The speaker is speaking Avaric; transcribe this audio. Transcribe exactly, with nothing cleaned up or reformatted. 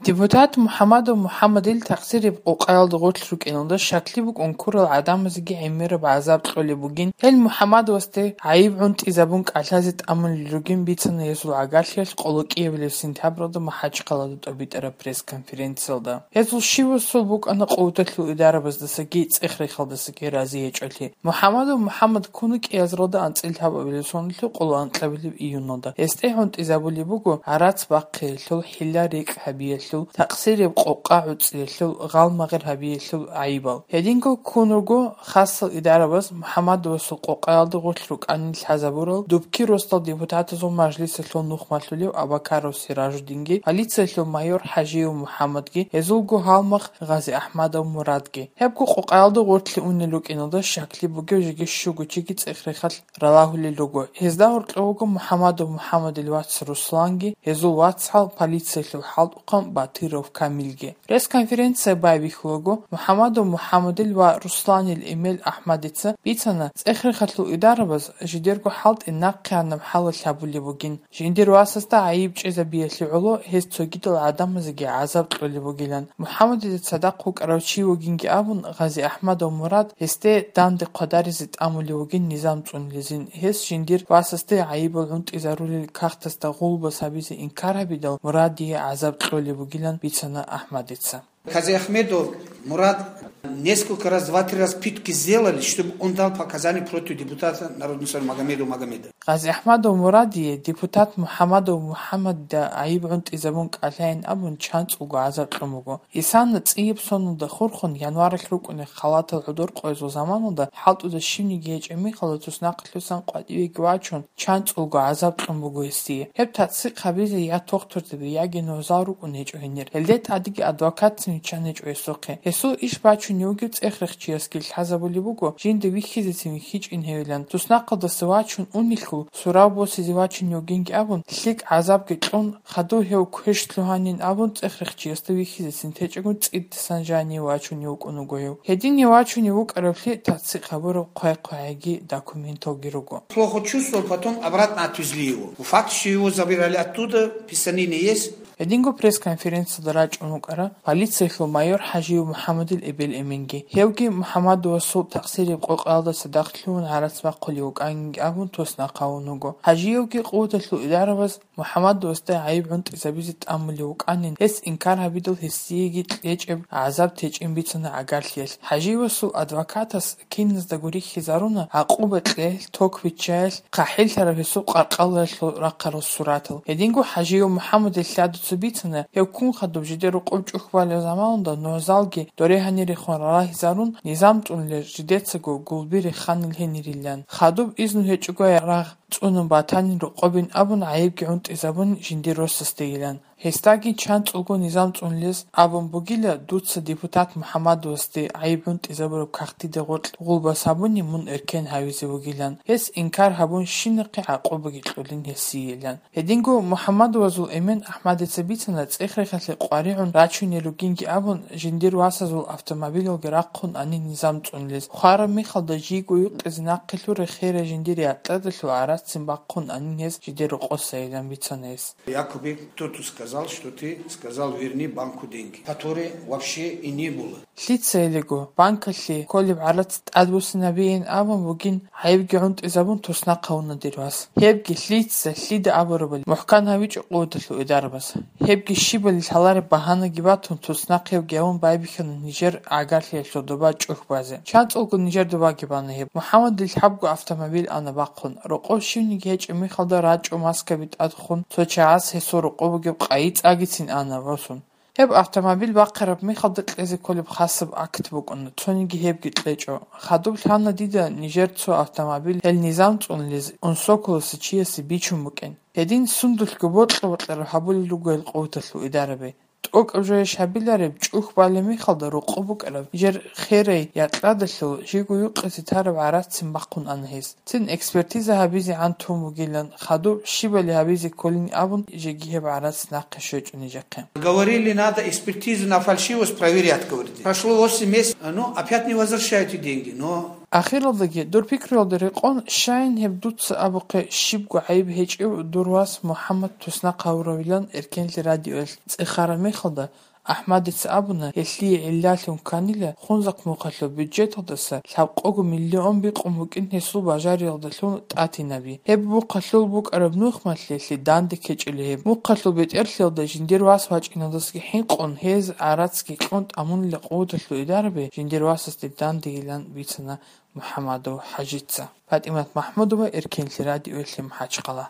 Депутат МухӀамадов МухӀамадил такъсиреб къокъаялда гъорлъ рукӀиналда щаклъи букӀун ккурал гӀадамазеги гӀемераб гӀазаб кьолеб бугин, гьел МухӀамадовасде гӀайиб гӀунтӀизабун кӀалъазе тӀамулел ругин бицана гьезул гӀагарлъиялъ къоло кӀиабилеб сентябралда МахӀачхъалада тӀобитӀараб пресс-конференциялда. Гьезул щивасул букӀана къуваталъул идарабаздасаги цӀех-рехалдасаги рази гьечӀолъи. МухӀамадов МухӀамад ккуна кӀиазаралда анцӀила гьабабилеб соналъул къоло анкьабилеб июналда. Гьесде гӀунтӀизабулеб буго гӀарац бахъиялъул, хӀилла-рекь гьабиялъул, такъсиреб къокъа гӀуцӀиялъул, гъалмагъир гьабиялъул гӀайибал. Гьединго ккун руго хасал идарабаз МухӀамадовасул къокъаялда гъорлъ рукӀанин лъазабурал Дубки росдал депутатазул мажлисалъул нух малъулев Абакаров Сиражудинги, полициялъул майор ХӀажиев МухӀамадги, гьезулго гьалмагъ ГъазиахӀмадов Мурадги. Гьебго къокъаялда гъорлъе унел рукӀиналда щаклъи бугев жеги щуго чиги цӀех-рехалъ ралагьулел руго. Гьезда гьоркьов вуго МухӀамадов МухӀамадил вац Русланги, гьезул вацгӀал, полициялъул хӀалтӀухъан Батыров Камилги. Пресс-конференция байбихьулаго, МухӀамадов МухӀамадил ва Русланил Эмел АхӀмадица бицана, цӀех-рехалъул идарабаз жидерго хӀалтӀи нахъеанаб хӀалалъ гьабулеб бугин. Жиндир васасда гӀайиб чӀезабиялъе гӀоло гьез цогидал гӀадамазеги гӀазаб кьолеб бугилан. МухӀамадида цадахъ вукӀарав чи вугинги абун, ГъазиахӀмадов Мурад гьесде данде хъвадаризе тӀамулев вугин низам цӀунилезин. Гьес жиндир васасде гӀайибал гӀунтӀизарулел кагътасда гъулбас гьабизе инкар гьабидал, Мурадие гӀазаб кьолеб бугилан бицана АхӀмадица. Казиахмедов Мурад несколько раз, два-три раз пытки сделали, чтобы он дал показания против депутата Народного Совета Магомедова Магомеда. ГъазиахӀмадов Мурадие депутат МухӀамадов МухӀамадда гӀайиб гӀунтӀизабун кӀалъайин абун чанцӀулго гӀазаб кьун буго. Исана цӀияб соналда хурхун январалъ рукӀунеб халатал гӀодор къоязул заманалда хӀалтӀуда щивниги гьечӀеб мехалда туснахъалъусан къватӀивеги вачун, чанцӀулго гӀазаб кьун буго гьесие. Гьеб тацдикъ гьабизе я тухтурзаби, яги нугӀзал рукӀун гьечӀо гьенир. Гьелде тӀадеги адвокатцин виччан гьечӀо гьесухъе. Гьесул иш бачунев вугев цӀех-рехчиясги лъазабулеб буго, жинда вихьизецин вихьичӀин гьевилан. Туснахъалдаса вачун унелъул, сурав босизе вачунев вугинги абун, лъикӀ гӀазабги кьун, хадув гьев квеш лъугьанин абун, цӀех-рехчиясда вихьизецин течӀого цӀидасан жание вачунев вукӀун вуго гьев. Гьединав вачунев вукӀаравлъи тацдикъ гьабураб хъвай-хъвагӀиги документалги руго. Плохо чувствовал, потом обратно отвезли его. Факт, что его забирали оттуда, писанины есть. Гьединго пресс-конференциялда рачӀун вукӀара полициялъул майор ХӀажиев МухӀамадил эбел-эменги. Гьевги МухӀамадовасул такъсиреб къокъаялда цадахъ лъугьун гӀарац бахъулев вукӀанинги абун туснахъ гьавун вуго. ХӀажиевги къуваталъул идарабаз МухӀамадовасда гӀайиб гӀунтӀизабизе тӀамулев вукӀанин, гьес инкар гьабидал гьесиеги кьечӀеб гӀазаб течӀин бицана гӀагарлъиялъ. ХӀажиевасул адвокатас киназдаго рихьизаруна гӀакъуба кьеялъ, ток биччаялъ, хъахӀиллъараб гьесул къаркъалаялъул рахъарал суратал. Гьединго ХӀажиев МухӀамадил лъадуца бицана, гьев ккун хадуб жидер рокъоб чӀухь балеб заманалда нугӀзалги доре гьанирехун ралагьизарун, низам цӀунулел жидецаго гулби реханил гьенирилан. Хадуб изну гьечӀого рагъ цӀунун батанин рокъобин абун гӀайибги гӀунтӀизабун жиндир росасдейилан. Гьесдаги чанцӀулго низам цӀунулез абун бугила, дуца депутат МухӀамадовасде гӀайиб гӀунтӀизабураб кагътида гъоркь гъулбас гьабуни мун эркен гьавизе вугилан, гьес инкар гьабун щинахъе гӀакъубаги кьолин гьесиеилан. Гьединго МухӀамадовазул эмен АхӀмадица бицана, цӀех-рехалъе къваригӀун рачунел ругинги абун, жиндир васазул автомобилалги рахъун анин низам цӀунулез. Хвараб мехалда жийго юкъизе нахъе лъуре херай жиндир якьадалъул гӀараццин бахъун анин гьез жидер рокъосайилан бицана гьес. Якобы кто-то сказал, что ты сказал: «Верни банку деньги», которые вообще и не было. Лъица гьелего банкалъе кколеб гӀарац тӀадбуссинабейин абун бугин, гӀайибги гӀунтӀизабун туснахъ гьавуна дир вас. Гьебги лъица, лъида абурабали мухӀкан гьавичӀо къуваталъул идарабаз. Гьебги щибали лъалареб багьанаги батун, туснахъ гьевги гьавун байбихьана нижер гӀагарлъиялъул доба чӀухь базе. ЧанцӀулго нижер добаги бана гьеб. МухӀамадил лъабго автомобиль ана бахъун. Рокъов щивниги гьечӀеб мехалда рачӀо маскаби тӀад хун, цо чагӀаз гьесул рокъоб бугеб къайи цӀагицин ана босун. Гьеб автомобиль бахъараб мехалда кьезе кколеб хасаб акт букӀуна, цониги гьебги кьечӀо. Хадуб лъана дида нижер цо автомобиль гьел низам цӀунулез унсоколоса чиясе бичун букӀин. Гьедин сундулъго бокьа-бокьараб гьабулел руго гьел къуваталъул идараби. ТӀокӀаб жойищ гьабилареб, чӀухь балеб мехалда рокъоб букӀараб нижер херай якьадалъул жийго юкъизе тараб гӀараццин бахъун ана гьес. Цин экспертиза гьабизегӀан тун бугилан, хадуб щибали гьабизе кколин абун, жеги гьеб гӀарац нахъе щвечӀо нижехъе. Говорили, надо экспертизу на фальшивость проверять, говорите. Прошло восемь месяцев, ну, опять не возвращаете деньги, но Ахиралдаги, дур пикруялда рекъон, щайин гьеб дуца абухъе щибго гӀайиб гьечӀев дур вас МухӀаммад туснахъ гьавуравилан эркенлъи радиоялъ цӀехараб мехалда, АхӀмадица абуна, гьелъие гӀиллалъун кканила Хунзахъ мухъалъул бюджеталдаса лъабкъого миллион бикъун букӀин гьесул бажариялдалъун тӀатинаби. Гьеб мухъалъул букӀараб нухмалъ гьелъие данде ккечӀила гьеб. Мухъалъул бетӀерлъиялда жиндир вас вачӀиналдасаги хӀинкъун, гьез гӀарацги кьун тӀамунила къуваталъул идараби жиндир васасде дандегилан бицана МухӀаммадов ХӀажица. ПатӀимат МахӀмудова, Эркенлъи радиоялъе МахӀачхъала.